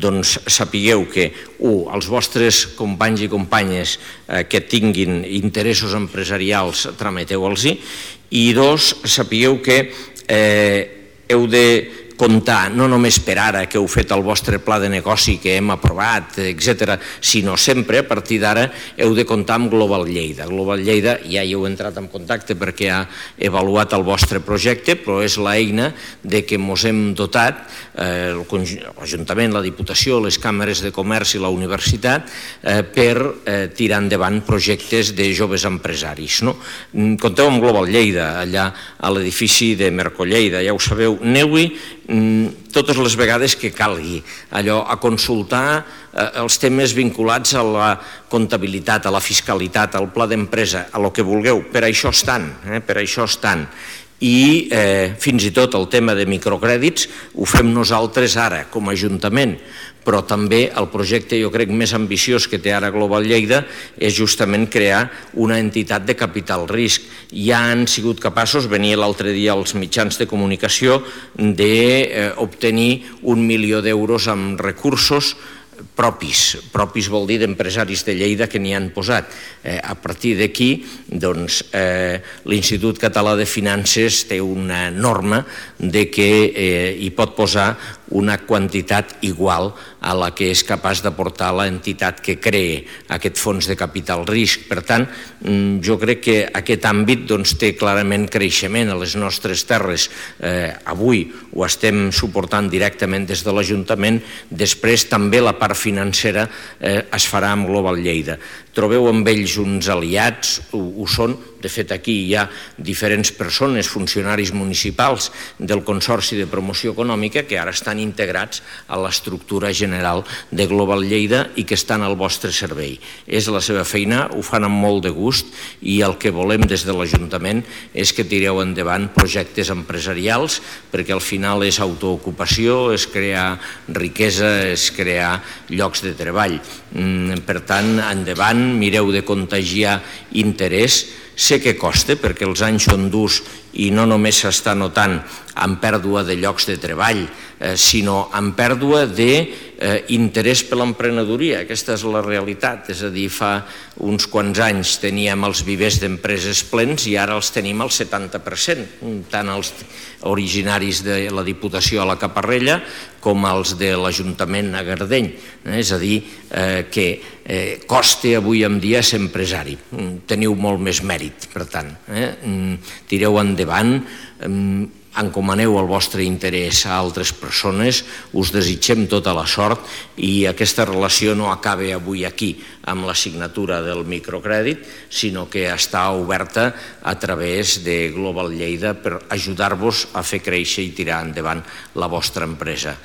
doncs sapigueu que, els vostres companys i companyes que tinguin interessos empresarials, trameteu-los-hi, i dos, sapigueu que heu de comptar no només per ara que heu fet el vostre pla de negoci que hem aprovat, etc., sinó sempre, a partir d'ara, heu de comptar amb Global Lleida. Global Lleida ja hi heu entrat en contacte perquè ha avaluat el vostre projecte, però és l'eina de què ens hem dotat, l'Ajuntament, la Diputació, les càmeres de comerç i la universitat, per tirar endavant projectes de joves empresaris. Compteu amb Global Lleida, allà a l'edifici de Mercolleida, ja ho sabeu, aneu-hi totes les vegades que calgui, allò, a consultar els temes vinculats a la comptabilitat, a la fiscalitat, al pla d'empresa, a lo que vulgueu, per això estan. I fins i tot el tema de microcrèdits ho fem nosaltres ara, com a Ajuntament, però també el projecte, jo crec, més ambiciós que té ara Global Lleida és justament crear una entitat de capital risc. Ja han sigut capaços, venia l'altre dia als mitjans de comunicació, d'obtenir 1 milió d'euros amb recursos propis vol dir d'empresaris de Lleida que n'hi han posat. A partir d'aquí, doncs, l'Institut Català de Finances té una norma de que hi pot posar una quantitat igual a la que és capaç d'aportar l'entitat que crea aquest fons de capital risc. Per tant, jo crec que aquest àmbit té clarament creixement a les nostres terres. Avui ho estem suportant directament des de l'Ajuntament, després també la part financera es farà amb Global Lleida. Trobeu amb ells uns aliats, ho són. De fet, aquí hi ha diferents persones, funcionaris municipals del Consorci de Promoció Econòmica que ara estan integrats a l'estructura general de Global Lleida i que estan al vostre servei. És la seva feina, ho fan amb molt de gust i el que volem des de l'Ajuntament és que tireu endavant projectes empresarials perquè al final és autoocupació, és crear riquesa, és crear llocs de treball. Per tant, endavant, mireu de contagiar interès. Sé que costa perquè els anys són durs i no només s'està notant en pèrdua de llocs de treball, sinó en pèrdua d'interès per l'emprenedoria. Aquesta és la realitat, és a dir, fa uns quants anys teníem els vivers d'empreses plens i ara els tenim al 70%, tant els originaris de la Diputació a la Caparrella com els de l'Ajuntament a Gardeny. És a dir, que costa avui en dia ser empresari. Teniu molt més mèrit, per tant. Tireu endavant, encomaneu el vostre interès a altres persones, us desitgem tota la sort i aquesta relació no acaba avui aquí amb la signatura del microcrèdit, sinó que està oberta a través de Global Lleida per ajudar-vos a fer créixer i tirar endavant la vostra empresa.